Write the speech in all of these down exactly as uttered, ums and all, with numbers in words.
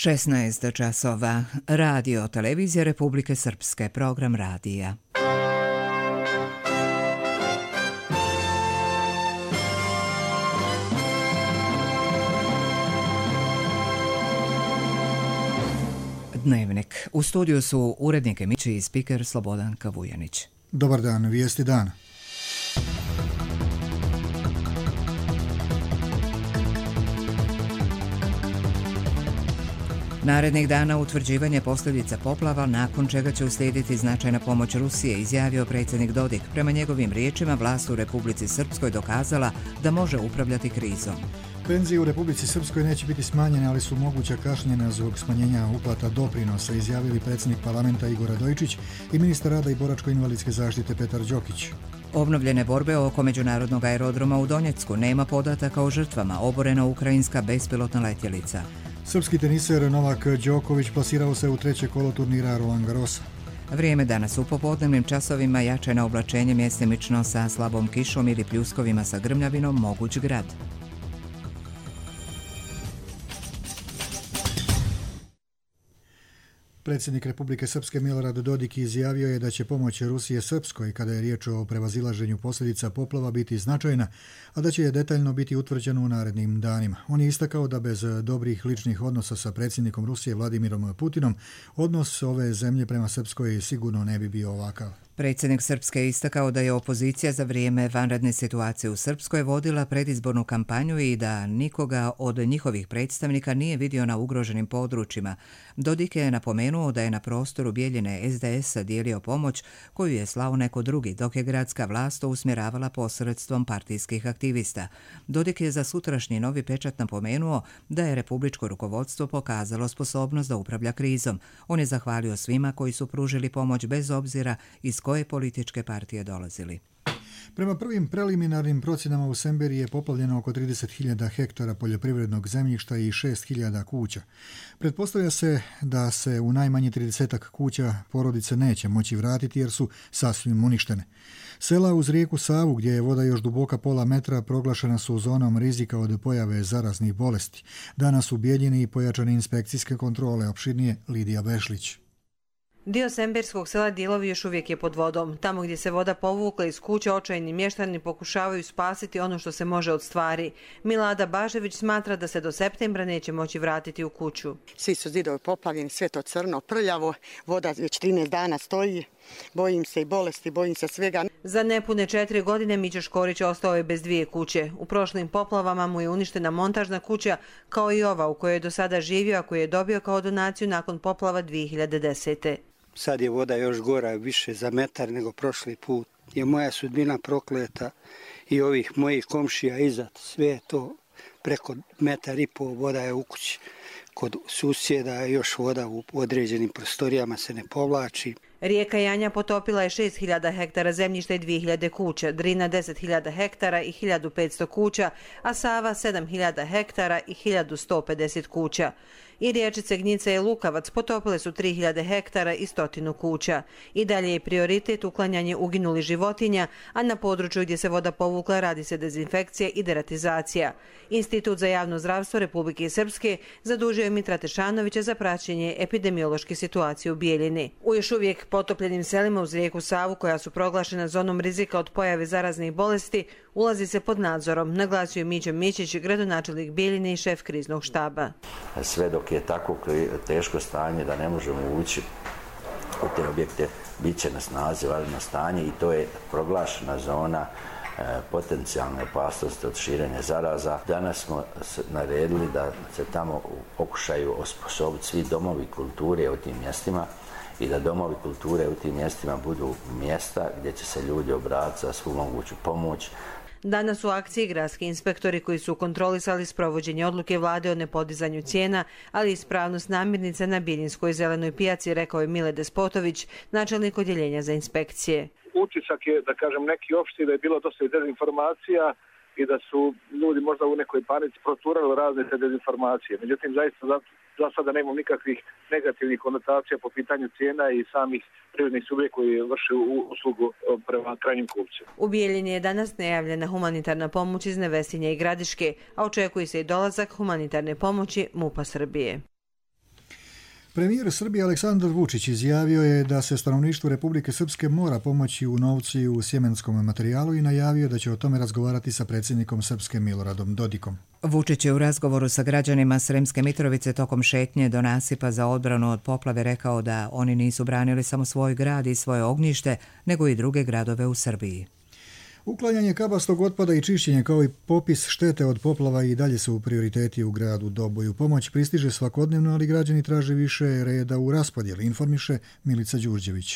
šesnaest časova. Radio Televizija Republike Srpske. Program radija. Dnevnik. U studiju su urednik emisije i spiker Slobodanka Vujanić. Dobar dan, vijesti dana. Narednih dana utvrđivanje posljedica poplava, nakon čega će uslijediti značajna pomoć Rusije, izjavio predsjednik Dodik. Prema njegovim riječima, vlast u Republici Srpskoj dokazala da može upravljati krizom. Penzije u Republici Srpskoj neće biti smanjene, ali su moguća kašnjenja zbog smanjenja uplata doprinosa, izjavili predsjednik parlamenta Igor Radojičić i ministar rada i boračko-invalidske zaštite Petar Đokić. Obnovljene borbe oko međunarodnog aerodroma u Donjecku, nema podataka o žrtvama, oborena ukrajinska bespilotna letjelica. Srpski teniser Novak Đoković plasirao se u treće kolo turnira Roland Garrosa. Vrijeme danas u popodnevnim časovima, jačeno oblačenje mjestimično sa slabom kišom ili pljuskovima sa grmljavinom, moguć grad. Predsjednik Republike Srpske Milorad Dodik izjavio je da će pomoć Rusije Srpskoj kada je riječ o prevazilaženju posljedica poplava biti značajna, a da će je detaljno biti utvrđeno u narednim danima. On je istakao da bez dobrih ličnih odnosa sa predsjednikom Rusije Vladimirom Putinom odnos ove zemlje prema Srpskoj sigurno ne bi bio ovakav. Predsjednik Srpske je istakao da je opozicija za vrijeme vanredne situacije u Srpskoj vodila predizbornu kampanju i da nikoga od njihovih predstavnika nije vidio na ugroženim područjima. Dodik je napomenuo da je na prostoru Bijeljine es de es dijelio pomoć koju je slao neko drugi, dok je gradska vlast to usmjeravala posredstvom partijskih aktivista. Dodik je za sutrašnji Novi pečat napomenuo da je republičko rukovodstvo pokazalo sposobnost da upravlja krizom. On je zahvalio svima koji su pružili pomoć bez obzira iz koje političke partije dolazili. Prema prvim preliminarnim procjenama u Semberiji je poplavljeno oko trideset hiljada hektara poljoprivrednog zemljišta i šest hiljada kuća. Pretpostavlja se da se u najmanje tridesetak kuća porodice neće moći vratiti jer su sasvim uništene. Sela uz rijeku Savu, gdje je voda još duboka pola metra, proglašena su zonom rizika od pojave zaraznih bolesti. Danas u Bijeljini pojačane inspekcijske kontrole, opširnije Lidija Bešlić. Dio semberskog sela Dilovi još uvijek je pod vodom. Tamo gdje se voda povukla iz kuća, očajni mještani pokušavaju spasiti ono što se može od stvari. Milada Bažević smatra da se do septembra neće moći vratiti u kuću. Svi su zidovi poplavljeni, sve to crno, prljavo, voda već trinaest dana stoji. Bojim se i bolesti, bojim se svega. Za nepune četiri godine Mića Škorić ostao je bez dvije kuće. U prošlim poplavama mu je uništena montažna kuća, kao i ova u kojoj je do sada živio, a koju je dobio kao donaciju nakon poplava dvije hiljade desete. Sad je voda još gora, više za metar nego prošli put. Je moja sudbina prokleta i ovih mojih komšija iza, sve to preko metar i pol voda je u kući. Kod susjeda je još voda u određenim prostorijama se ne povlači. Rijeka Janja potopila je šest hiljada hektara zemljišta i dvije hiljade kuća, Drina deset hiljada hektara i hiljadu petsto kuća, a Sava sedam hiljada hektara i hiljadu sto pedeset kuća. I riječice Gnjica i Lukavac potopile su tri hiljade hektara i stotinu kuća. I dalje je prioritet uklanjanje uginulih životinja, a na području gdje se voda povukla radi se dezinfekcija i deratizacija. Institut za javno zdravstvo Republike Srpske zadužio je Mitra Tešanovića za praćenje epidemiološke situacije u Bijeljini. U još uvijek potopljenim selima uz rijeku Savu, koja su proglašena zonom rizika od pojave zaraznih bolesti, ulazi se pod nadzorom, naglasio je Mićo Mićić, gradonačelnik Bijeljine i šef kriznog štaba. Sve dok je tako teško stanje da ne možemo ući u te objekte, bit će na snazi vanredno stanje i to je proglašena zona e, potencijalne opasnosti od širenja zaraza. Danas smo naredili da se tamo pokušaju osposobiti svi domovi kulture u tim mjestima i da domovi kulture u tim mjestima budu mjesta gdje će se ljudi obratiti za svu moguću pomoć. Danas u akciji gradski inspektori koji su kontrolisali sprovođenje odluke vlade o nepodizanju cijena, ali i ispravnost namirnica na Bijeljinskoj zelenoj pijaci, rekao je Mile Despotović, načelnik odjeljenja za inspekcije. Utisak je, da kažem, neki opšti da je bilo dosta dezinformacija i da su ljudi možda u nekoj panici proturali razne te dezinformacije. Međutim, zaista za, za sada nemamo nikakvih negativnih konotacija po pitanju cijena i samih privrednih subjekata koji vrše uslugu prema krajnjim kupcima. U Bijeljini je danas najavljena humanitarna pomoć iz Nevesinja i Gradiške, a očekuje se i dolazak humanitarne pomoći MUP-a Srbije. Premijer Srbije Aleksandar Vučić izjavio je da se stanovništvu Republike Srpske mora pomoći u novcu i u sjemenskom materijalu i najavio da će o tome razgovarati sa predsjednikom Srpske Miloradom Dodikom. Vučić je u razgovoru sa građanima Sremske Mitrovice tokom šetnje do nasipa za odbranu od poplave rekao da oni nisu branili samo svoj grad i svoje ognjište, nego i druge gradove u Srbiji. Uklanjanje kabastog otpada i čišćenje kao i popis štete od poplava i dalje su prioriteti u gradu Doboju. Pomoć pristiže svakodnevno, ali građani traže više reda u raspodjeli, informiše Milica Đurđević.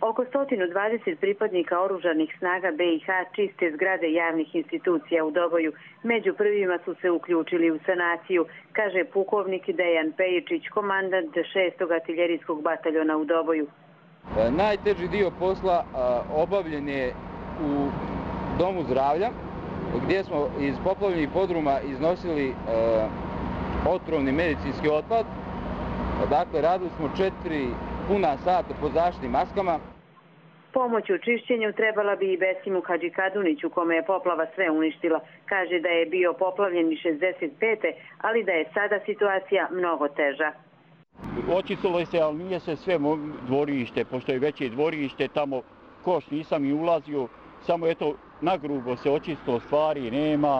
Oko sto dvadeset pripadnika oružanih snaga B i H čiste zgrade javnih institucija u Doboju. Među prvima su se uključili u sanaciju, kaže pukovnik Dejan Pejičić, komandant šestog artiljerijskog bataljona u Doboju. Najteži dio posla obavljen je u domu zdravlja, gdje smo iz poplavljenih podruma iznosili e, otrovni medicinski otpad. Dakle, radili smo četiri puna sata po zaštitnim maskama. Pomoć u čišćenju trebala bi i Besimu Hadžikaduniću, kome je poplava sve uništila. Kaže da je bio poplavljen i šezdeset pete ali da je sada situacija mnogo teža. Očistilo se, ali nije se sve dvorište, pošto je veće dvorište, tamo koš nisam i ulazio. Samo eto, nagrubo se očistilo, stvari nema.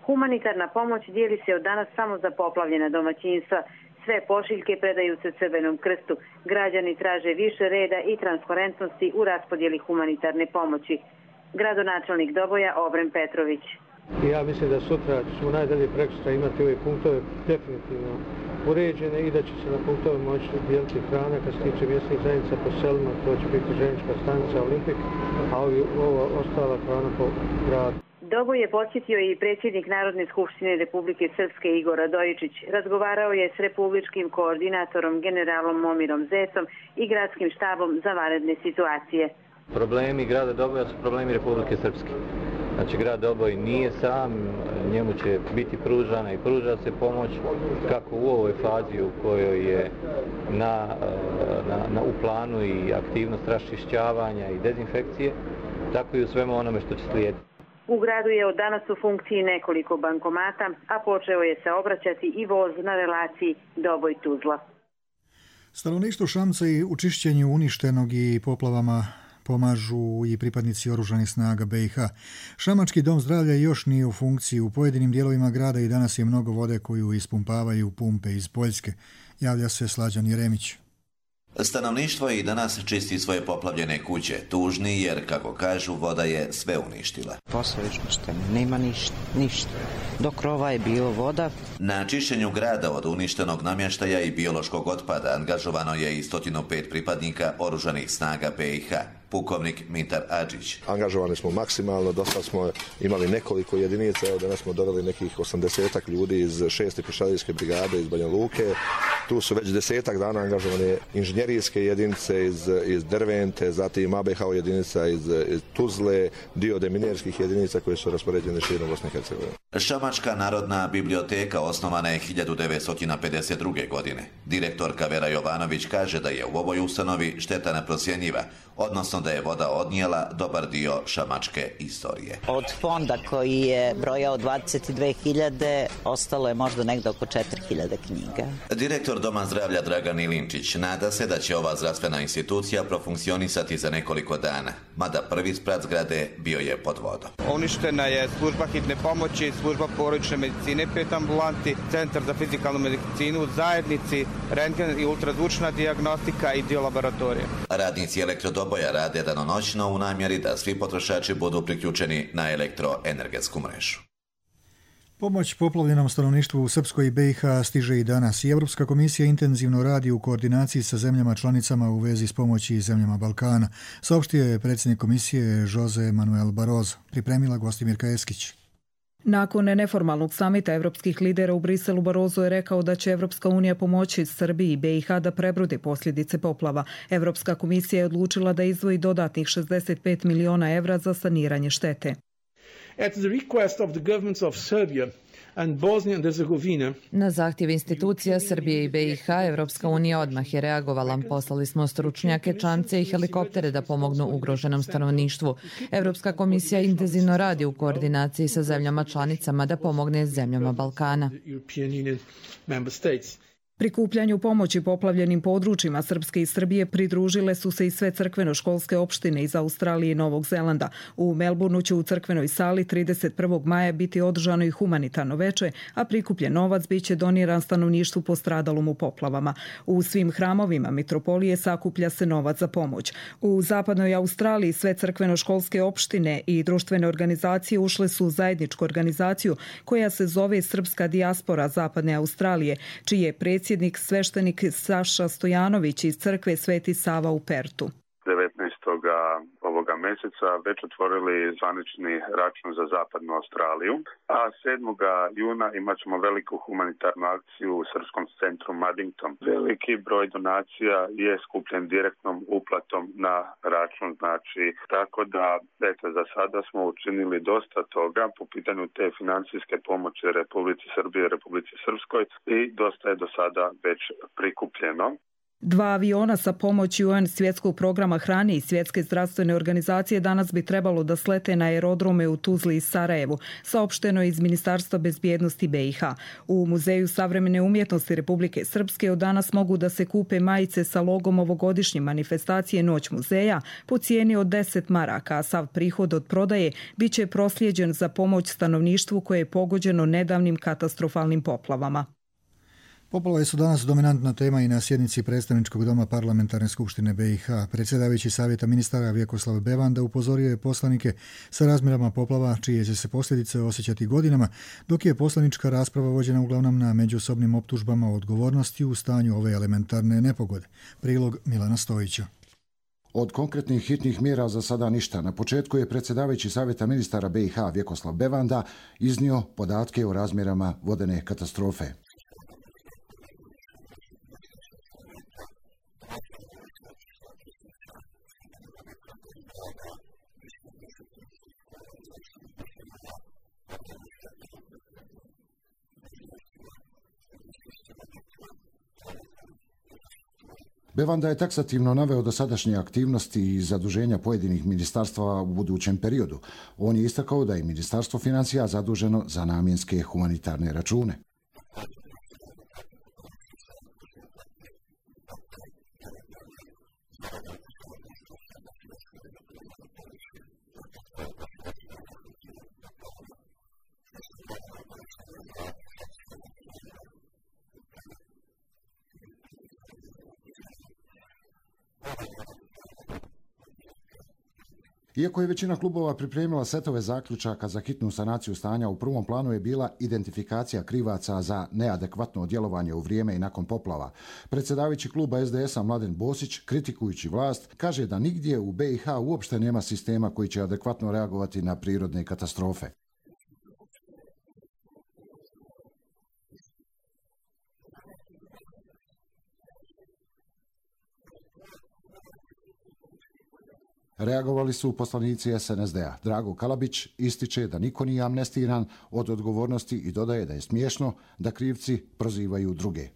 Humanitarna pomoć dijeli se od danas samo za poplavljena domaćinstva. Sve pošiljke predaju se Crvenom krstu. Građani traže više reda i transparentnosti u raspodjeli humanitarne pomoći. Gradonačelnik Doboja Obren Petrović. Ja mislim da sutra ćemo najdalje prekosutra imati ove punktove definitivno uređene i da će se na punktove moći dijeliti hrana. Kad se tiče mjesnih zajednica po selima, to će biti željeznička stanica Olimpik, a ovi, ovo ostala hrana po gradu. Doboj je posjetio i predsjednik Narodne skupštine Republike Srpske Igor Radojičić. Razgovarao je s republičkim koordinatorom generalom Momirom Zecom i gradskim štabom za vanredne situacije. Problemi grada Doboja su problemi Republike Srpske. Znači, grad Doboj nije sam, njemu će biti pružana i pruža se pomoć kako u ovoj fazi u kojoj je na, na, na, u planu i aktivnost raščišćavanja i dezinfekcije, tako i u svemu onome što će slijediti. U gradu je od danas u funkciji nekoliko bankomata, a počeo je se obraćati i voz na relaciji Doboj-Tuzla. Stanovništvo Šamca i u čišćenju uništenog i poplavama pomažu i pripadnici oružanih snaga B i H. Šamački dom zdravlja još nije u funkciji. U pojedinim dijelovima grada i danas je mnogo vode koju ispumpavaju pumpe iz Poljske. Javlja se Slađan Jeremić. Stanovništvo i danas čisti svoje poplavljene kuće, tužni jer, kako kažu, voda je sve uništila. Poslovično što nema ništa, ništa. Do krova je bilo voda. Na čišćenju grada od uništenog namještaja i biološkog otpada angažovano je i sto pet pripadnika oružanih snaga B i H. Pukovnik Mitar Adžić. Angažovani smo maksimalno, dosta smo imali nekoliko jedinica, evo danas smo doveli nekih osamdesetak ljudi iz šeste pješadijske brigade iz Banja Luke. Tu su već desetak dana angažovane inženjerijske jedinice iz, iz Dervente, zatim A B H jedinica iz, iz Tuzle, dio deminerskih jedinica koje su raspoređene širom Bosne i Hercegovine. Šamačka narodna biblioteka osnovana je hiljadu devetsto pedeset druge. godine. Direktorka Vera Jovanović kaže da je u ovoj ustanovi šteta neprocjenjiva, odnosno da je voda odnijela dobar dio šamačke istorije. Od fonda koji je brojao dvadeset dve hiljade, ostalo je možda negdje oko četiri hiljade knjiga. Direktor Doma zdravlja Dragan Ilinčić nada se da će ova zdravstvena institucija profunkcionisati za nekoliko dana, mada prvi sprat zgrade bio je pod vodom. Uništena je služba hitne pomoći, služba porodične medicine, pet ambulanti, centar za fizikalnu medicinu, zajednici, rentgen i ultrazvučna dijagnostika i dio laboratorija. Radnici Elektrodoboja rade danonoćno u namjeri da svi potrošači budu priključeni na elektroenergetsku mrežu. Pomoć poplavljenom stanovništvu u Srpskoj i B i H stiže i danas i Europska komisija intenzivno radi u koordinaciji sa zemljama članicama u vezi s pomoći zemljama Balkana, saopštio je predsjednik komisije Jose Manuel Barroso, pripremila Gostimirka Eskić. Nakon neformalnog samita evropskih lidera u Briselu, Barroso je rekao da će Evropska unija pomoći Srbiji i B i H da prebrode posljedice poplava. Evropska komisija je odlučila da izdvoji dodatnih šezdeset pet miliona evra za saniranje štete. At the request of the governments of Serbia and Bosnia and Herzegovina. Na zahtjev institucija Srbije i B i H, Evropska unija odmah je reagovala. Poslali smo stručnjake, čamce i helikoptere da pomognu ugroženom stanovništvu. Evropska komisija intenzivno radi u koordinaciji sa zemljama članicama da pomogne zemljama Balkana. Prikupljanju pomoći poplavljenim područjima Srpske i Srbije pridružile su se i sve crkveno-školske opštine iz Australije i Novog Zelanda. U Melbourneu će u crkvenoj sali trideset prvog maja biti održano i humanitarno veče, a prikupljen novac biće doniran stanovništvu postradalom u poplavama. U svim hramovima mitropolije sakuplja se novac za pomoć. U zapadnoj Australiji sve crkveno-školske opštine i društvene organizacije ušle su u zajedničku organizaciju koja se zove Srpska dijaspora Zapadne Australije, čiji je predsjednik sveštenik Saša Stojanović iz crkve Sveti Sava u Pertu. devetnaestog ovoga mjeseca već otvorili zvanični račun za Zapadnu Australiju, a sedmog juna imat ćemo veliku humanitarnu akciju u Srpskom centru Maddington. Veliki broj donacija je skupljen direktnom uplatom na račun, znači tako da eto, za sada smo učinili dosta toga po pitanju te financijske pomoći Republici Srbiji i Republici Srpskoj i dosta je do sada već prikupljeno. Dva aviona sa pomoći U N svjetskog programa hrane i svjetske zdravstvene organizacije danas bi trebalo da slete na aerodrome u Tuzli i Sarajevu, saopšteno je iz Ministarstva bezbjednosti B i H. U Muzeju savremene umjetnosti Republike Srpske od danas mogu da se kupe majice sa logom ovogodišnje manifestacije Noć muzeja po cijeni od deset maraka, a sav prihod od prodaje biće proslijeđen za pomoć stanovništvu koje je pogođeno nedavnim katastrofalnim poplavama. Poplave su danas dominantna tema i na sjednici predstavničkog doma Parlamentarne skupštine B i H. Predsjedavajući savjeta ministara Vjekoslav Bevanda upozorio je poslanike sa razmjerama poplava čije će se posljedice osjećati godinama, dok je poslanička rasprava vođena uglavnom na međusobnim optužbama o odgovornosti u stanju ove elementarne nepogode. Prilog Milana Stojića. Od konkretnih hitnih mjera za sada ništa. Na početku je predsjedavajući savjeta ministara B i H Vjekoslav Bevanda iznio podatke o razmjerama vodene katastrofe. Bevanda je taksativno naveo dosadašnje aktivnosti i zaduženja pojedinih ministarstva u budućem periodu. On je istakao da je Ministarstvo financija zaduženo za namjenske humanitarne račune. Iako je većina klubova pripremila setove zaključaka za hitnu sanaciju stanja, u prvom planu je bila identifikacija krivaca za neadekvatno djelovanje u vrijeme i nakon poplava. Predsjedavajući kluba S D S-a Mladen Bosić, kritikujući vlast, kaže da nigdje u B i H uopšte nema sistema koji će adekvatno reagovati na prirodne katastrofe. Reagovali su poslanici S N S D-a. Drago Kalabić ističe da niko nije amnestiran od odgovornosti i dodaje da je smiješno da krivci prozivaju druge.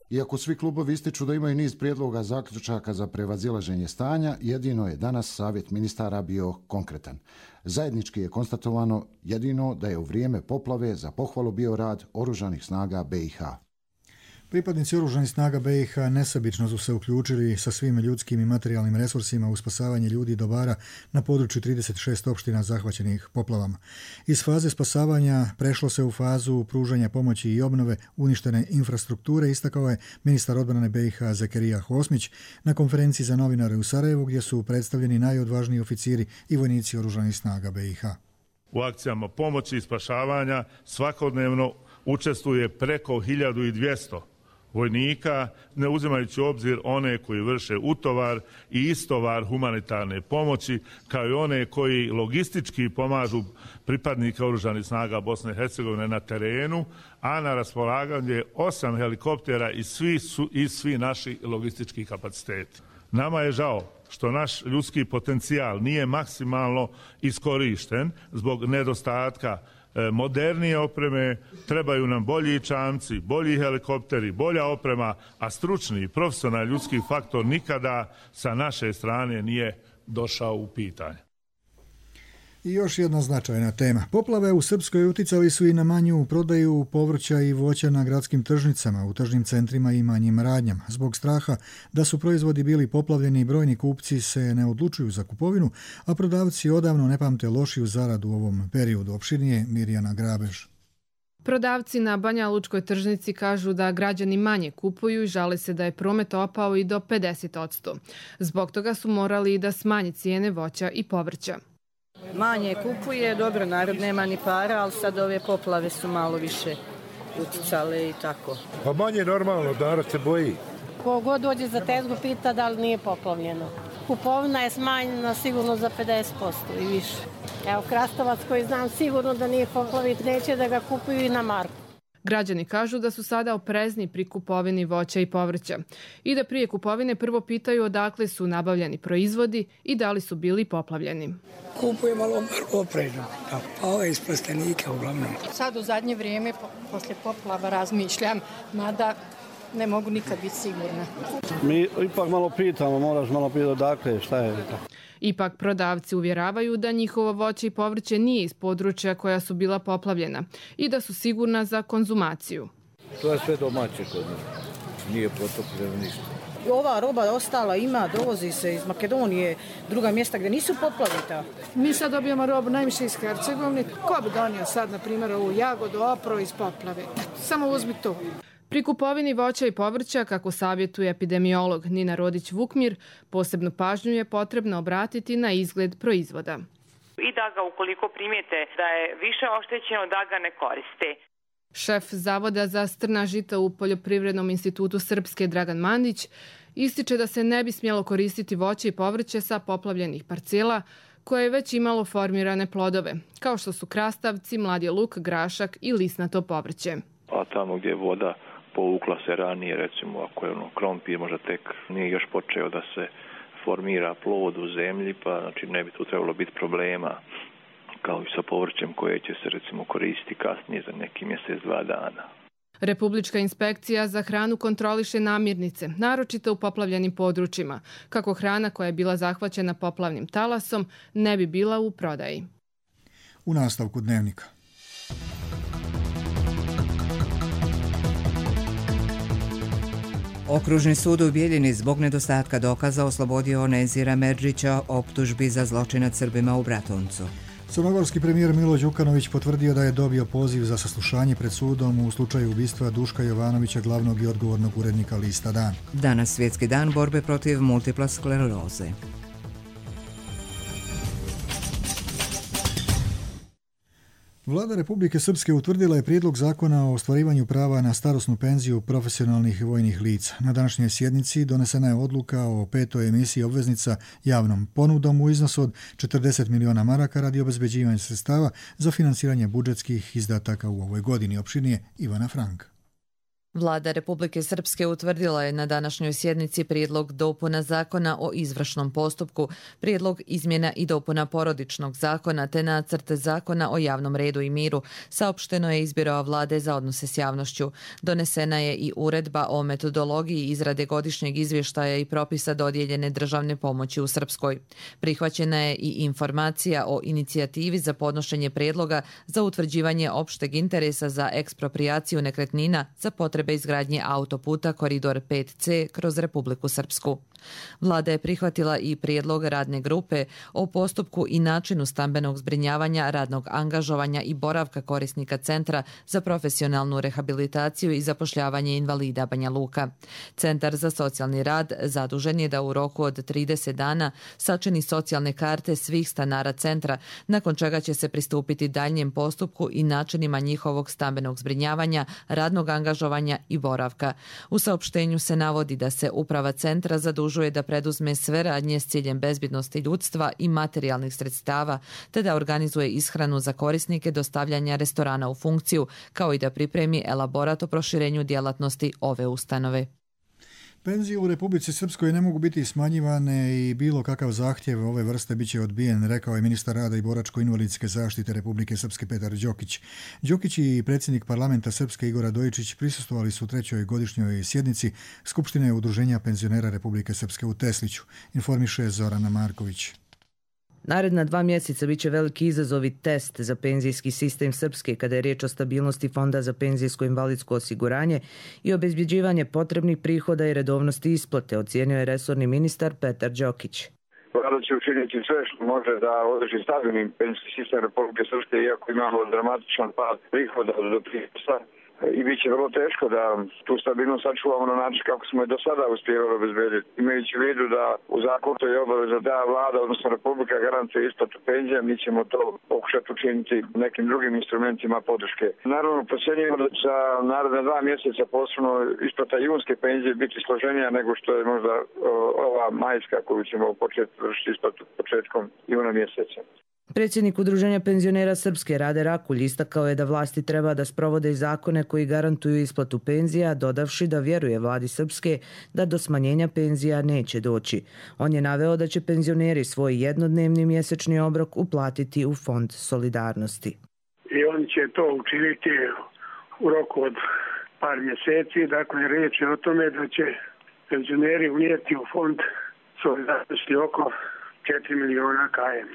Iako svi klubovi ističu da imaju niz prijedloga zaključaka za prevazilaženje stanja, jedino je danas savjet ministara bio konkretan. Zajednički je konstatovano jedino da je u vrijeme poplave za pohvalu bio rad oružanih snaga B i H. Pripadnici oružanih snaga B i H nesebično su se uključili sa svim ljudskim i materijalnim resursima u spasavanje ljudi i dobara na području trideset šest opština zahvaćenih poplavama. Iz faze spasavanja prešlo se u fazu pružanja pomoći i obnove uništene infrastrukture, istakao je ministar odbrane B i H Zekerija Hosmić na konferenciji za novinare u Sarajevu, gdje su predstavljeni najodvažniji oficiri i vojnici oružanih snaga B i H. U akcijama pomoći i spašavanja svakodnevno učestvuje preko hiljadu dvjesto vojnika, ne uzimajući u obzir one koji vrše utovar i istovar humanitarne pomoći, kao i one koji logistički pomažu pripadnika oružanih snaga Bosne i Hercegovine na terenu, a na raspolaganju je osam helikoptera i svi, su, i svi naši logistički kapaciteti. Nama je žao što naš ljudski potencijal nije maksimalno iskorišten zbog nedostatka modernije opreme, trebaju nam bolji čamci, bolji helikopteri, bolja oprema, a stručni i profesionalni ljudski faktor nikada sa naše strane nije došao u pitanje. I još jedna značajna tema. Poplave u Srpskoj uticali su i na manju prodaju povrća i voća na gradskim tržnicama, u tržnim centrima i manjim radnjama. Zbog straha da su proizvodi bili poplavljeni, brojni kupci se ne odlučuju za kupovinu, a prodavci odavno ne pamte lošiju zaradu u ovom periodu. Opširnije Mirjana Grabež. Prodavci na Banja Lučkoj tržnici kažu da građani manje kupuju i žale se da je promet opao i do pedeset posto. Zbog toga su morali i da smanje cijene voća i povrća. Manje kupuje, dobro, narod nema ni para, ali sad ove poplave su malo više uticale i tako. Pa manje normalno, narod se boji. Ko god dođe za tezgu pita da li nije poplavljeno. Kupovina je smanjena sigurno za pedeset posto i više. Evo, krastavac koji znam sigurno da nije poplavit, neće da ga kupuju i na marku. Građani kažu da su sada oprezni pri kupovini voća i povrća i da prije kupovine prvo pitaju odakle su nabavljeni proizvodi i da li su bili poplavljeni. Kupuje malo oprezno, pa ove iz plastenika uglavnom. Sad u zadnje vrijeme, posle poplava, razmišljam, mada ne mogu nikad biti sigurna. Mi ipak malo pitamo, moraš malo pitati odakle, šta je. Ipak prodavci uvjeravaju da njihovo voće i povrće nije iz područja koja su bila poplavljena i da su sigurna za konzumaciju. To je sve domaće kod nas, nije potopljeno ništa. Ova roba ostala ima, dovozi se iz Makedonije, druga mjesta gdje nisu poplavita. Mi sad dobijamo robu najviše iz Hercegovine. Ko bi donio sad, na primjer, ovu jagodu, opro iz poplave? Samo uzmi to. Pri kupovini voća i povrća, kako savjetuje epidemiolog Nina Rodić-Vukmir, posebnu pažnju je potrebno obratiti na izgled proizvoda. I da ga, ukoliko primijete da je više oštećeno, da ga ne koriste. Šef Zavoda za strna žita u Poljoprivrednom institutu Srpske Dragan Mandić ističe da se ne bi smjelo koristiti voće i povrće sa poplavljenih parcela koje je već imalo formirane plodove, kao što su krastavci, mladi luk, grašak i lisnato povrće. A tamo gdje je voda povukla se ranije, recimo ako je ono krompir možda tek nije još počeo da se formira plod u zemlji, pa znači ne bi tu trebalo biti problema kao i sa povrćem koje će se recimo koristiti kasnije za neki mjesec, dva dana. Republička inspekcija za hranu kontroliše namirnice, naročito u poplavljenim područjima, kako hrana koja je bila zahvaćena poplavnim talasom ne bi bila u prodaji. U nastavku dnevnika. Okružni sud u Bijeljini zbog nedostatka dokaza oslobodio Nezira Merdžića optužbi za zločin nad Srbima u Bratuncu. Crnogorski premijer Milo Đukanović potvrdio da je dobio poziv za saslušanje pred sudom u slučaju ubistva Duška Jovanovića, glavnog i odgovornog urednika lista Dan. Danas svjetski dan borbe protiv multiple skleroze. Vlada Republike Srpske utvrdila je prijedlog zakona o ostvarivanju prava na starosnu penziju profesionalnih vojnih lica. Na današnjoj sjednici donesena je odluka o petoj emisiji obveznica javnom ponudom u iznosu od četrdeset miliona maraka radi obezbeđivanja sredstava za finansiranje budžetskih izdataka u ovoj godini. Opširnije Ivana Franka. Vlada Republike Srpske utvrdila je na današnjoj sjednici prijedlog dopuna zakona o izvršnom postupku, prijedlog izmjena i dopuna porodičnog zakona te nacrt zakona o javnom redu i miru, saopšteno je iz Biroa Vlade za odnose s javnošću. Donesena je i uredba o metodologiji izrade godišnjeg izvještaja i propisa dodijeljene državne pomoći u Srpskoj. Prihvaćena je i informacija o inicijativi za podnošenje prijedloga za utvrđivanje opšteg interesa za eksproprijaciju nekretnina za potrebe izgradnje autoputa Koridor pet ce kroz Republiku Srpsku. Vlada je prihvatila i prijedlog radne grupe o postupku i načinu stambenog zbrinjavanja, radnog angažovanja i boravka korisnika Centra za profesionalnu rehabilitaciju i zapošljavanje invalida Banja Luka. Centar za socijalni rad zadužen je da u roku od trideset dana sačini socijalne karte svih stanara centra, nakon čega će se pristupiti daljnjem postupku i načinima njihovog stambenog zbrinjavanja, radnog angažovanja i boravka. U saopštenju se navodi da se uprava centra zadužuje da preduzme sve radnje s ciljem bezbjednosti ljudstva i materijalnih sredstava, te da organizuje ishranu za korisnike dostavljanja restorana u funkciju, kao i da pripremi elaborat o proširenju djelatnosti ove ustanove. Penzije u Republici Srpskoj ne mogu biti smanjivane i bilo kakav zahtjev ove vrste bit će odbijen, rekao je ministar rada i boračko-invalidske zaštite Republike Srpske Petar Đokić. Đokić i predsjednik parlamenta Srpske Igor Radojičić prisustvovali su trećoj godišnjoj sjednici Skupštine Udruženja penzionera Republike Srpske u Tesliću, informiše Zorana Marković. Naredna dva mjeseca bit će veliki izazov i test za penzijski sistem Srpske kada je riječ o stabilnosti Fonda za penzijsko-invalidsko osiguranje i obezbjeđivanje potrebnih prihoda i redovnosti isplate, ocijenio je resorni ministar Petar Đokić. Vlada će učiniti sve što može da održi stabilni penzijski sistem Republike Srpske, iako imamo dramatičan pad prihoda od doprinosa. I bit će vrlo teško da tu stabilnost sačuvamo na način kako smo i do sada uspjevali obezbediti. Imajući u vidu da u zakonu to je obaveza da vlada, odnosno Republika, garantuje isplatu penzija, mi ćemo to pokušati učiniti nekim drugim instrumentima podrške. Naravno, procjenjujemo da će za naredne dva mjeseca posebno isplata junske penzije biti složenija nego što je možda ova majska koju ćemo početi vršiti isplatu početkom juna mjeseca. Predsjednik Udruženja penzionera Srpske Rade Rakulj istakao je da vlasti treba da sprovode zakone koji garantuju isplatu penzija, dodavši da vjeruje vladi Srpske da do smanjenja penzija neće doći. On je naveo da će penzioneri svoj jednodnevni mjesečni obrok uplatiti u Fond solidarnosti. I oni će to učiniti u roku od par mjeseci. Dakle, riječ je o tome da će penzioneri unijeti u Fond solidarnosti oko četiri miliona kajem.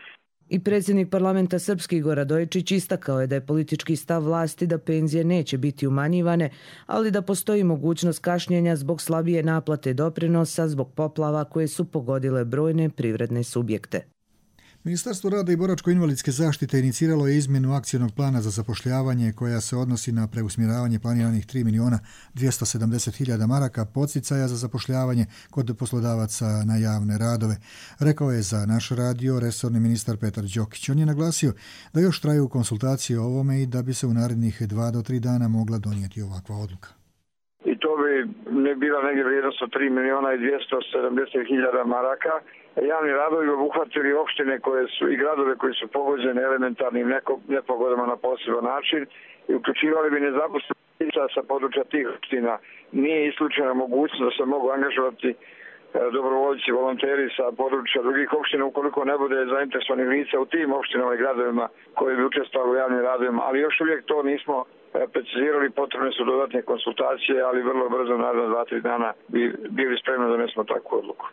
I predsjednik parlamenta Srpski Igor Radojičić istakao je da je politički stav vlasti da penzije neće biti umanjivane, ali da postoji mogućnost kašnjenja zbog slabije naplate doprinosa zbog poplava koje su pogodile brojne privredne subjekte. Ministarstvo rada i boračko-invalidske zaštite iniciralo je izmjenu akcijnog plana za zapošljavanje koja se odnosi na preusmjeravanje planiranih tri milijuna dvjesto sedamdeset hiljada maraka podsticaja za zapošljavanje kod poslodavaca na javne radove. Rekao je za naš radio resorni ministar Petar Đokić. On je naglasio da još traju konsultacije o ovome i da bi se u narednih dva do tri dana mogla donijeti ovakva odluka. I to bi ne bila negdje vrijednost od tri milijuna i dvjesto sedamdeset hiljada maraka. Javni radovi obuhvatili opštine koje su i gradove koji su pogođeni elementarnim nepogodama na poseban način i uključivali bi nezaposlenici sa područja tih opština. Nije isključena mogućnost da se mogu angažovati dobrovoljci, volonteri sa područja drugih opština ukoliko ne bude zainteresovanih lica u tim opštinama i gradovima koji bi učestvovali u javnim radovima, ali još uvijek to nismo precizirali, potrebne su dodatne konsultacije, ali vrlo brzo, naravno dva tri dana bi bili spremni da donesemo takvu odluku.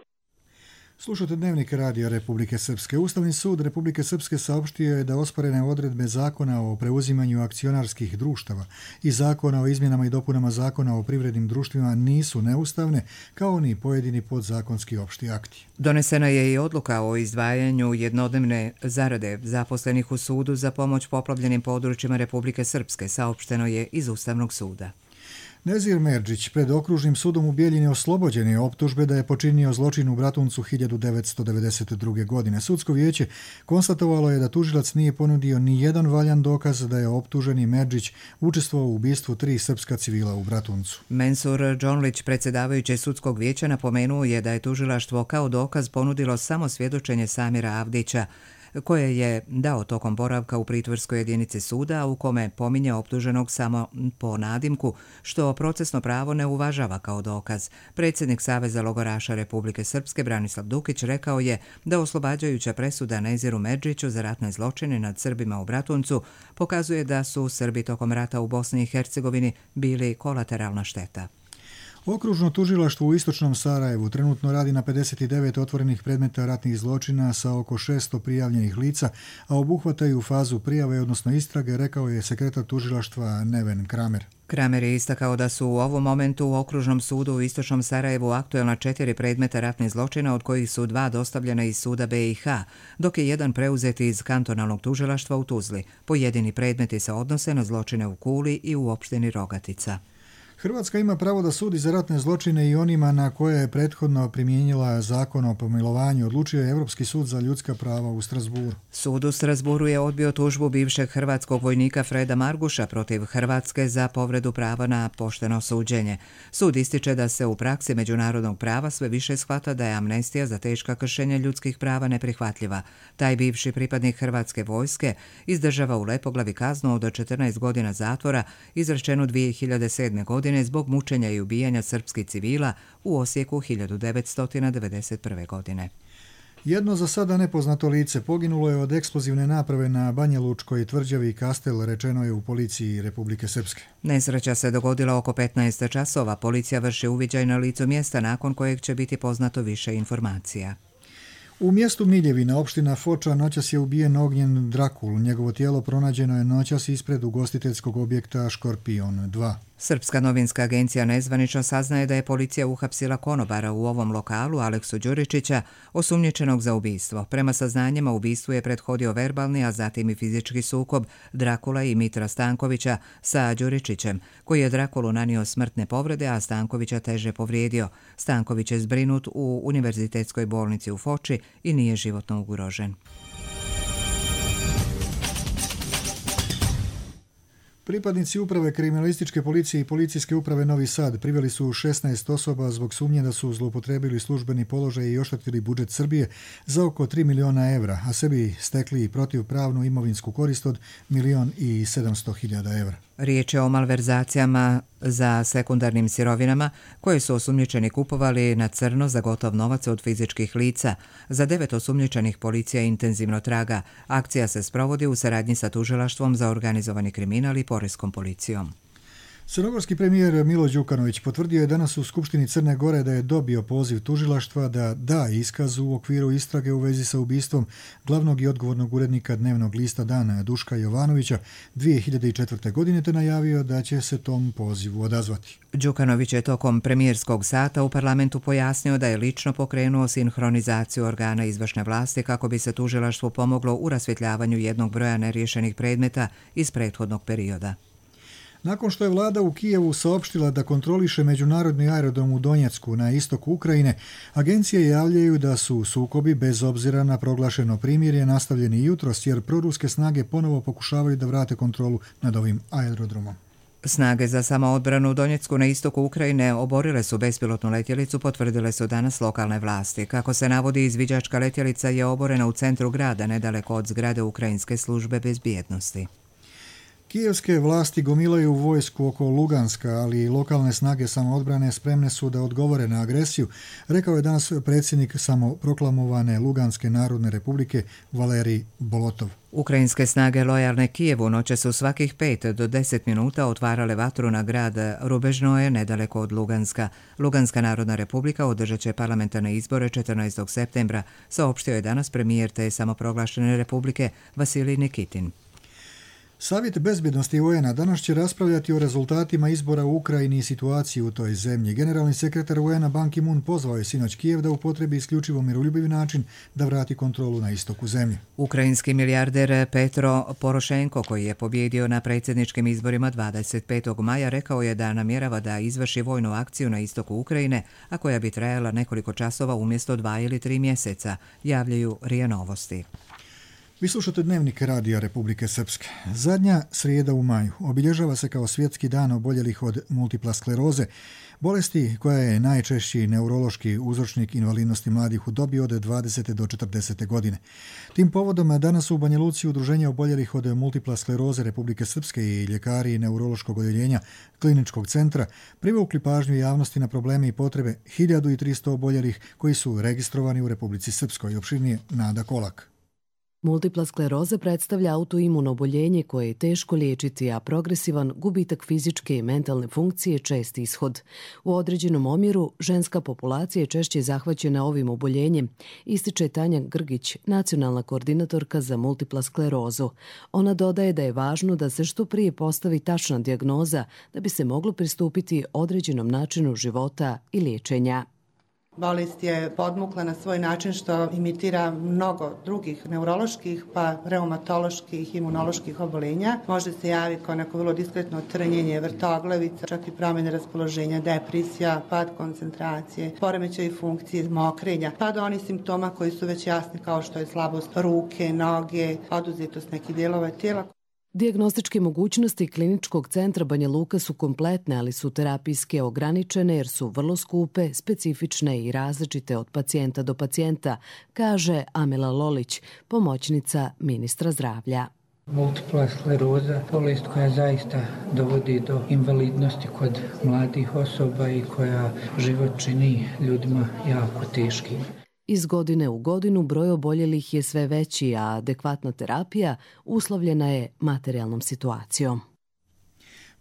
Slušate Dnevnik radija Republike Srpske. Ustavni sud Republike Srpske saopštio je da osporene odredbe zakona o preuzimanju akcionarskih društava i zakona o izmjenama i dopunama zakona o privrednim društvima nisu neustavne, kao ni pojedini podzakonski opšti akti. Donesena je i odluka o izdvajanju jednodnevne zarade zaposlenih u sudu za pomoć poplavljenim područjima Republike Srpske, saopšteno je iz Ustavnog suda. Nezir Merdžić pred okružnim sudom u Bijeljini oslobođen je optužbe da je počinio zločin u Bratuncu hiljadu devetsto devedeset druge. godine. Sudsko vijeće konstatovalo je da tužilac nije ponudio ni jedan valjan dokaz da je optuženi Merdžić učestvovao u ubistvu tri srpska civila u Bratuncu. Mensur Džonlić, predsjedavajući sudskog vijeća, napomenuo je da je tužilaštvo kao dokaz ponudilo samo svjedočenje Samira Avdića, koje je dao tokom boravka u pritvorskoj jedinici suda, u kome pominje optuženog samo po nadimku, što procesno pravo ne uvažava kao dokaz. Predsjednik Saveza logoraša Republike Srpske Branislav Dukić rekao je da oslobađajuća presuda Neziru Merdžiću za ratne zločine nad Srbima u Bratuncu pokazuje da su Srbi tokom rata u Bosni i Hercegovini bili kolateralna šteta. Okružno tužilaštvo u istočnom Sarajevu trenutno radi na pedeset devet otvorenih predmeta ratnih zločina sa oko šesto prijavljenih lica, a obuhvataju fazu prijave, odnosno istrage, rekao je sekretar tužilaštva Neven Kramer. Kramer je istakao da su u ovom momentu u Okružnom sudu u istočnom Sarajevu aktuelna četiri predmeta ratnih zločina, od kojih su dva dostavljena iz suda B i H, dok je jedan preuzet iz kantonalnog tužilaštva u Tuzli. Pojedini predmeti se odnose na zločine u Kuli i u opštini Rogatica. Hrvatska ima pravo da sudi za ratne zločine i onima na koje je prethodno primijenila zakon o pomilovanju, odlučio je Europski sud za ljudska prava u Strasburu. Sud u Strasburu je odbio tužbu bivšeg hrvatskog vojnika Freda Marguša protiv Hrvatske za povredu prava na pošteno suđenje. Sud ističe da se u praksi međunarodnog prava sve više shvata da je amnestija za teška kršenja ljudskih prava neprihvatljiva. Taj bivši pripadnik hrvatske vojske izdržava u Lepoglavi kaznu od četrnaest godina zatvora, izrečenu dvije hiljade sedme. godine osuđen je zbog mučenja i ubijanja srpskih civila u Osijeku hiljadu devetsto devedeset prve. godine. Jedno za sada nepoznato lice poginulo je od eksplozivne naprave na Banjalučkoj tvrđavi Kastel, rečeno je u policiji Republike Srpske. Nesreća se dogodila oko petnaest časova. Policija vrši uviđaj na licu mjesta nakon kojeg će biti poznato više informacija. U mjestu Miljevina, opština Foča, noćas je ubijen Ognjen Drakul. Njegovo tijelo pronađeno je noćas ispred ugostiteljskog objekta Škorpion dva. Srpska novinska agencija nezvanično saznaje da je policija uhapsila konobara u ovom lokalu, Aleksu Đuričića, osumnjičenog za ubistvo. Prema saznanjima, ubistvu je prethodio verbalni, a zatim i fizički sukob Drakula i Mitra Stankovića sa Đuričićem, koji je Drakulu nanio smrtne povrede, a Stankovića teže povrijedio. Stanković je zbrinut u univerzitetskoj bolnici u Foči i nije životno ugrožen. Pripadnici uprave kriminalističke policije i policijske uprave Novi Sad priveli su šesnaest osoba zbog sumnje da su zloupotrebili službeni položaj i oštetili budžet Srbije za oko tri miliona evra, a sebi stekli protivpravnu imovinsku korist od milion i sedamsto hiljada evra. Riječ je o malverzacijama za sekundarnim sirovinama koje su osumnjičeni kupovali na crno za gotov novac od fizičkih lica. Za devet osumnjičenih policija intenzivno traga. Akcija se sprovodi u saradnji sa tužilaštvom za organizovani kriminal i poreskom policijom. Crnogorski premijer Milo Đukanović potvrdio je danas u Skupštini Crne Gore da je dobio poziv tužilaštva da da iskaz u okviru istrage u vezi sa ubistvom glavnog i odgovornog urednika dnevnog lista Dana Duška Jovanovića dvije hiljade četvrte. godine te najavio da će se tom pozivu odazvati. Đukanović je tokom premijerskog sata u parlamentu pojasnio da je lično pokrenuo sinhronizaciju organa izvršne vlasti kako bi se tužilaštvu pomoglo u rasvjetljavanju jednog broja neriješenih predmeta iz prethodnog perioda. Nakon što je vlada u Kijevu saopštila da kontroliše međunarodni aerodrom u Donjecku na istoku Ukrajine, agencije javljaju da su sukobi bez obzira na proglašeno primirje nastavljeni jutros jer proruske snage ponovo pokušavaju da vrate kontrolu nad ovim aerodromom. Snage za samoodbranu u Donjecku na istoku Ukrajine oborile su bespilotnu letjelicu, potvrdile su danas lokalne vlasti. Kako se navodi, izviđačka letjelica je oborena u centru grada, nedaleko od zgrade Ukrajinske službe bezbjednosti. Kijevske vlasti gomilaju vojsku oko Luganska, ali i lokalne snage samoodbrane spremne su da odgovore na agresiju, rekao je danas predsjednik samoproklamovane Luganske narodne republike Valerij Bolotov. Ukrajinske snage lojalne Kijevu noće su svakih pet do deset minuta otvarale vatru na grad Rubežnoje nedaleko od Luganska. Luganska narodna republika održat će parlamentarne izbore četrnaestog septembra, saopštio je danas premijer te samoproglašene republike Vasilij Nikitin. Savjet bezbjednosti U N-a danas će raspravljati o rezultatima izbora u Ukrajini i situaciji u toj zemlji. Generalni sekretar U N-a Ban Ki-moon pozvao je sinoć Kijev da upotrebi isključivo miroljubiv način da vrati kontrolu na istoku zemlje. Ukrajinski milijarder Petro Porošenko, koji je pobjedio na predsjedničkim izborima dvadeset petog maja, rekao je da namjerava da izvrši vojnu akciju na istoku Ukrajine, a koja bi trajala nekoliko časova umjesto dva ili tri mjeseca, javljaju R I A Novosti. Vi slušate Dnevnik Radija Republike Srpske. Zadnja srijeda u maju obilježava se kao svjetski dan oboljelih od multipla skleroze, bolesti koja je najčešći neurološki uzročnik invalidnosti mladih u dobi od dvadesete do četrdesete. godine. Tim povodom danas u Banja Luci udruženje oboljelih od multipla skleroze Republike Srpske i ljekari neurološkog odjeljenja kliničkog centra privukli pažnju javnosti na probleme i potrebe hiljadu tristo oboljelih koji su registrovani u Republici Srpskoj. Opširnije Nada Kolak. Multipla skleroza predstavlja autoimuno oboljenje koje je teško liječiti, a progresivan gubitak fizičke i mentalne funkcije čest ishod. U određenom omjeru ženska populacija je češće zahvaćena ovim oboljenjem, ističe Tanja Grgić, nacionalna koordinatorka za multipla sklerozu. Ona dodaje da je važno da se što prije postavi tačna dijagnoza da bi se moglo pristupiti određenom načinu života i liječenja. Bolest je podmukla na svoj način što imitira mnogo drugih neuroloških pa reumatoloških, imunoloških obolenja. Može se javiti kao neko vrlo diskretno trnjenje, vrtoglavica, čak i promjene raspoloženja, depresija, pad koncentracije, poremećaj funkcije, mokrenja, pa do onih simptoma koji su već jasni kao što je slabost ruke, noge, oduzetost nekih dijelova tijela. Dijagnostičke mogućnosti kliničkog centra Banja Luka su kompletne, ali su terapijske ograničene jer su vrlo skupe, specifične i različite od pacijenta do pacijenta, kaže Amela Lolić, pomoćnica ministra zdravlja. Multipla skleroza, bolest koja zaista dovodi do invalidnosti kod mladih osoba i koja život čini ljudima jako teškim. Iz godine u godinu broj oboljelih je sve veći, a adekvatna terapija uslovljena je materijalnom situacijom.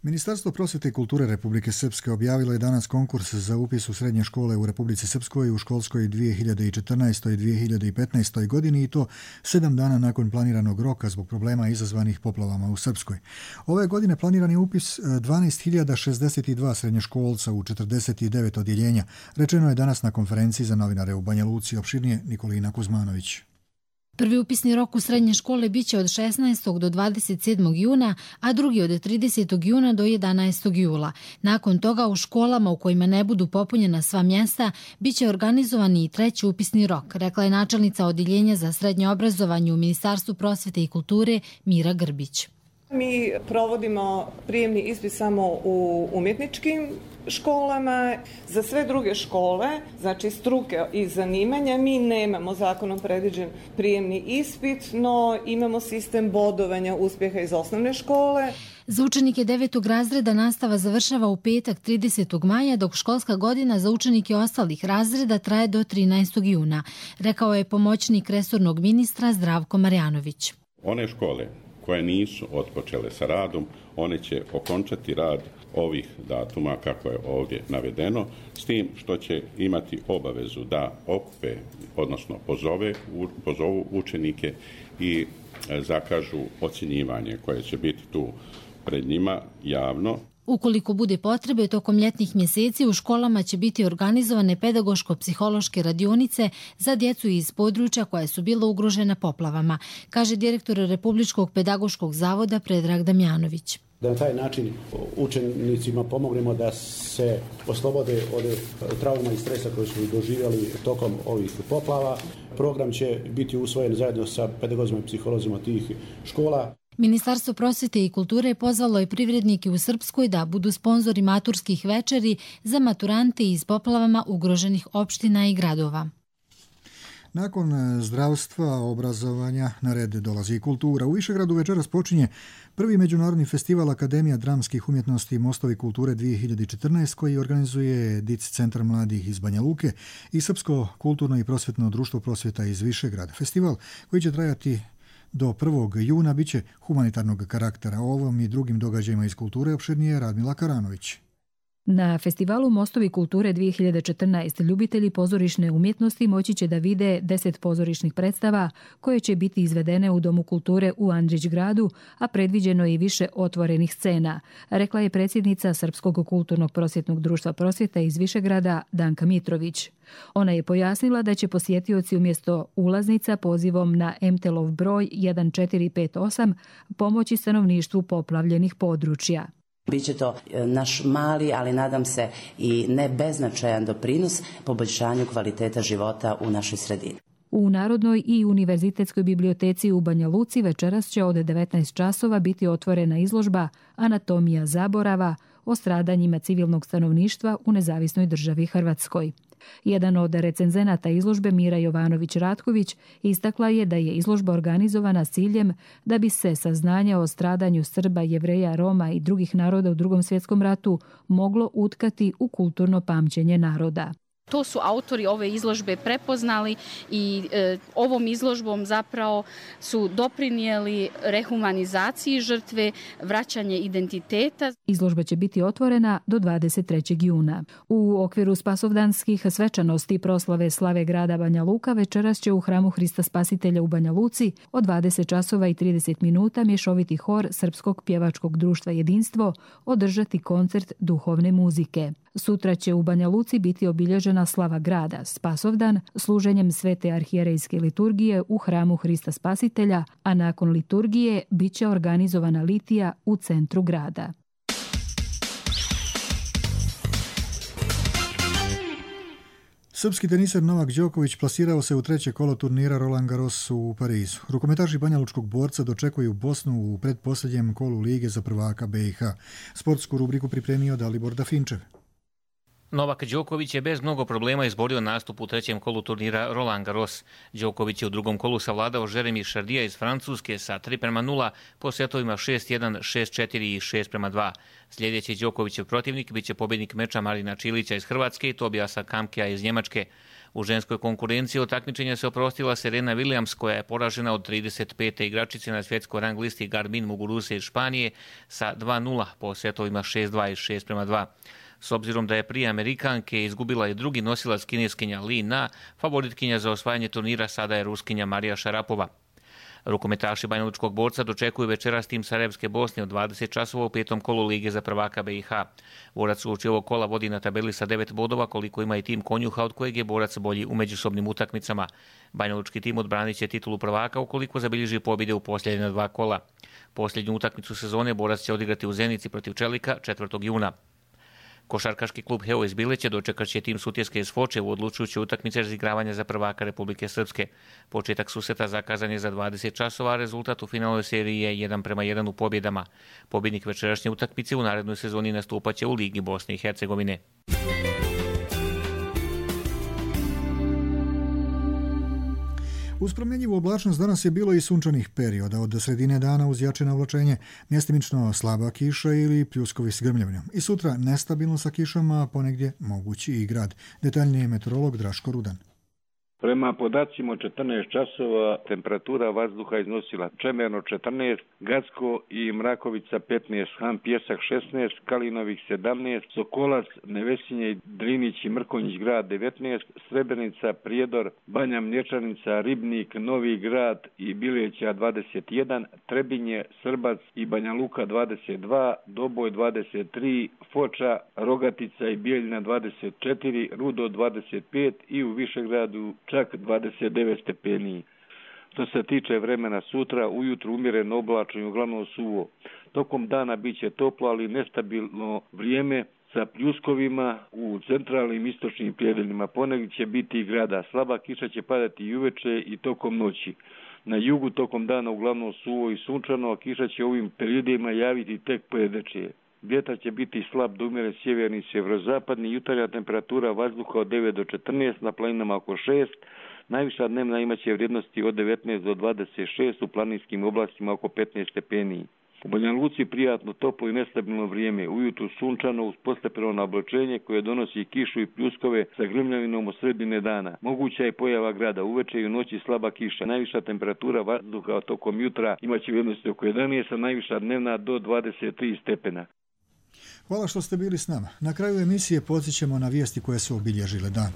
Ministarstvo prosvjete i kulture Republike Srpske objavilo je danas konkurs za upis u srednje škole u Republici Srpskoj u školskoj dvije hiljade četrnaestoj i dvije hiljade petnaestoj godini i to sedam dana nakon planiranog roka zbog problema izazvanih poplavama u Srpskoj. Ove godine planiran je upis dvanaest hiljada šezdeset dva srednjoškolca u četrdeset devet odjeljenja, rečeno je danas na konferenciji za novinare u Banja Luci. Opširnije Nikolina Kuzmanović. Prvi upisni rok u srednje škole biće od šesnaestog do dvadeset sedmog juna, a drugi od tridesetog juna do jedanaestog jula. Nakon toga u školama u kojima ne budu popunjena sva mjesta biće organizovan i treći upisni rok, rekla je načelnica Odjeljenja za srednje obrazovanje u Ministarstvu prosvjete i kulture Mira Grbić. Mi provodimo prijemni ispit samo u umjetničkim školama. Za sve druge škole, znači struke i zanimanja, mi nemamo zakonom predviđen prijemni ispit, no imamo sistem bodovanja uspjeha iz osnovne škole. Za učenike devetog razreda nastava završava u petak tridesetog maja, dok školska godina za učenike ostalih razreda traje do trinaestog juna, rekao je pomoćnik resornog ministra Zdravko Marjanović. One škole koje nisu otpočele sa radom, one će okončati rad ovih datuma kako je ovdje navedeno, s tim što će imati obavezu da okupe, odnosno pozove, pozovu učenike i zakažu ocjenjivanje koje će biti tu pred njima javno. Ukoliko bude potrebe, tokom ljetnih mjeseci u školama će biti organizovane pedagoško-psihološke radionice za djecu iz područja koja su bila ugrožena poplavama, kaže direktor Republičkog pedagoškog zavoda Predrag Damjanović. Da na taj način učenicima pomognemo da se oslobode od trauma i stresa koji su doživjeli tokom ovih poplava. Program će biti usvojen zajedno sa pedagozima i psiholozima tih škola. Ministarstvo prosvjete i kulture pozvalo je privrednike u Srpskoj da budu sponzori maturskih večeri za maturante iz poplavama ugroženih opština i gradova. Nakon zdravstva, obrazovanja, na red dolazi i kultura. U Višegradu večeras počinje prvi međunarodni festival Akademija dramskih umjetnosti i Mostovi kulture dvije hiljade četrnaeste koji organizuje D I C Centar mladih iz Banja Luke i Srpsko kulturno i prosvjetno društvo prosvjeta iz Višegrada. Festival koji će trajati do prvog juna biće humanitarnog karaktera. O ovom i drugim događajima iz kulture opširnije Radmila Karanović. Na festivalu Mostovi kulture dvije hiljade četrnaeste ljubitelji pozorišne umjetnosti moći će da vide deset pozorišnih predstava koje će biti izvedene u Domu kulture u Andrić gradu, a predviđeno je i više otvorenih scena, rekla je predsjednica Srpskog kulturnog prosvjetnog društva prosvjeta iz Višegrada Danka Mitrović. Ona je pojasnila da će posjetioci umjesto ulaznica pozivom na em te el-ov broj jedan četiri pet osam pomoći stanovništvu poplavljenih područja. Biće to naš mali, ali nadam se i ne beznačajan doprinos poboljšanju kvaliteta života u našoj sredini. U Narodnoj i Univerzitetskoj biblioteci u Banja Luci večeras će od devetnaest časova biti otvorena izložba Anatomija zaborava o stradanjima civilnog stanovništva u nezavisnoj državi Hrvatskoj. Jedan od recenzenata izložbe, Mira Jovanović-Ratković, istakla je da je izložba organizovana s ciljem da bi se saznanje o stradanju Srba, Jevreja, Roma i drugih naroda u Drugom svjetskom ratu moglo utkati u kulturno pamćenje naroda. To su autori ove izložbe prepoznali i e, ovom izložbom zapravo su doprinijeli rehumanizaciji žrtve, vraćanje identiteta. Izložba će biti otvorena do dvadeset trećeg juna. U okviru spasovdanskih svečanosti proslave slave grada Banja Luka večeras će u Hramu Hrista Spasitelja u Banja Luci od dvadeset časova i trideset minuta mješoviti hor Srpskog pjevačkog društva Jedinstvo održati koncert duhovne muzike. Sutra će u Banja Luci biti obilježena slava grada, Spasovdan, služenjem svete arhijerejske liturgije u Hramu Hrista Spasitelja, a nakon liturgije bit će organizovana litija u centru grada. Srpski teniser Novak Đoković plasirao se u treće kolo turnira Roland Garros u Parizu. Rukometaši banjalučkog borca dočekuju Bosnu u pretposljednjem kolu Lige za prvaka be i ha. Sportsku rubriku pripremio Dalibor Dafinčev. Novak Đoković je bez mnogo problema izborio nastup u trećem kolu turnira Roland Garros. Đoković je u drugom kolu savladao Jeremy Chardija iz Francuske sa tri prema nula po setovima šest jedan, šest četiri i šest prema dva. Sljedeći Đokovićev protivnik biće pobjednik meča Marina Čilića iz Hrvatske i Tobiasa Kamkea iz Njemačke. U ženskoj konkurenciji od takmičenja se oprostila Serena Williams, koja je poražena od trideset pete igračice na svjetskoj rang listi Garbiñe Muguruza iz Španije sa dva nula po setovima šest dva i šest prema dva. S obzirom da je prije Amerikanke izgubila i drugi nosilac kineskinja Li Na, favoritkinja za osvajanje turnira sada je Ruskinja Marija Šarapova. Rukometaši banjalučkog borca dočekuju večeras tim Sarajevske Bosne od dvadeset časova u petom kolu Lige za prvaka B i H. Borac uoči ovog kola vodi na tabeli sa devet bodova, koliko ima i tim Konjuha, od kojeg je borac bolji u međusobnim utakmicama. Banjalučki tim odbranit će titulu prvaka ukoliko zabilježi pobjede u posljednja dva kola. Posljednju utakmicu sezone borac će odigrati u Zenici protiv Čelika četvrtog juna. Košarkaški klub Heo iz Bileće dočekat će tim Sutjeske iz Foče u odlučujućoj utakmici razigravanja za prvaka Republike Srpske. Početak susreta zakazan je za dvadeset časova, a rezultat u finalnoj seriji je jedan prema jedan u pobjedama. Pobjednik večerašnje utakmice u narednoj sezoni nastupaće u Ligi Bosne i Hercegovine. Uz promjenjivu oblačnost danas je bilo i sunčanih perioda, od sredine dana uz jače navlačenje, mjestimično slaba kiša ili pljuskovi s grmljavljom. I sutra nestabilno sa kišama, a ponegdje mogući i grad. Detaljnije meteorolog Draško Rudan. Prema podacima od četrnaest časova temperatura vazduha iznosila Čemerno četrnaest, Gacko i Mrakovica petnaest, Han Pjesak šesnaest, Kalinovih sedamnaest, Sokolac, Nevesinje, Drinić i Mrkonjić grad devetnaest, Srebrenica, Prijedor, Banja Mlječanica, Ribnik, Novi grad i Bileća dvadeset jedan, Trebinje, Srbac i Banja Luka dvadeset dva, Doboj dvadeset tri, Foča, Rogatica i Bijeljina dvadeset četiri, Rudo dvadeset pet i u Višegradu čak dvadeset devet stepeni. Što se tiče vremena sutra, ujutru umjereno oblačno i uglavnom suvo. Tokom dana bit će toplo, ali nestabilno vrijeme sa pljuskovima u centralnim istočnim predjelima. Ponegdje će biti i grada. Slaba kiša će padati i uveče i tokom noći. Na jugu tokom dana uglavnom suvo i sunčano, a kiša će ovim periodima javiti tek pojedeče. Vjetar će biti slab do umjeren sjeverni i sjeverozapadni, jutarnja temperatura vazduha od devet do četrnaest, na planinama oko šest, najviša dnevna imaće vrijednosti od devetnaest do dvadeset šest, u planinskim oblastima oko petnaest stepeni. U Banja Luci prijatno toplo i nestabilno vrijeme, ujutru sunčano uz postepeno nablačenje koje donosi kišu i pljuskove sa grmljavinom od sredine dana. Moguća je pojava grada, uveče i u noći slaba kiša. Najviša temperatura vazduha tokom jutra imaće vrijednosti oko jedanaest, a najviša dnevna do dvadeset tri stepena. Hvala što ste bili s nama. Na kraju emisije podsjećamo na vijesti koje su obilježile dan.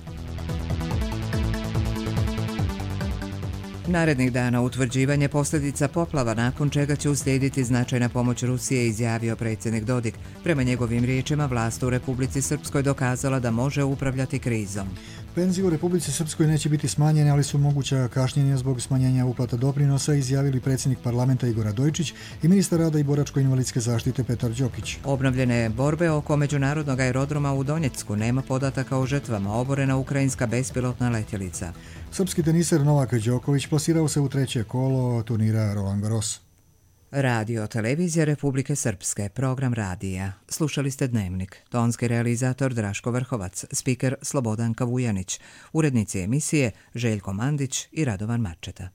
Narednih dana utvrđivanje posljedica poplava, nakon čega će uslijediti značajna pomoć Rusije, izjavio predsjednik Dodik. Prema njegovim riječima, vlast u Republici Srpskoj dokazala da može upravljati krizom. Penzije u Republici Srpskoj neće biti smanjene, ali su moguća kašnjenja zbog smanjenja uplata doprinosa, izjavili predsjednik parlamenta Igor Radojčić i ministar rada i boračko-invalidske zaštite Petar Đokić. Obnovljene borbe oko međunarodnog aerodroma u Donjecku, nema podataka o žrtvama, oborena ukrajinska bespilotna letjelica. Srpski teniser Novak Đoković plasirao se u treće kolo turnira Roland Garros. Radio Televizija Republike Srpske, program radija. Slušali ste Dnevnik. Tonski realizator Draško Vrhovac, spiker Slobodan Kavujanić, urednici emisije Željko Mandić i Radovan Marčeta.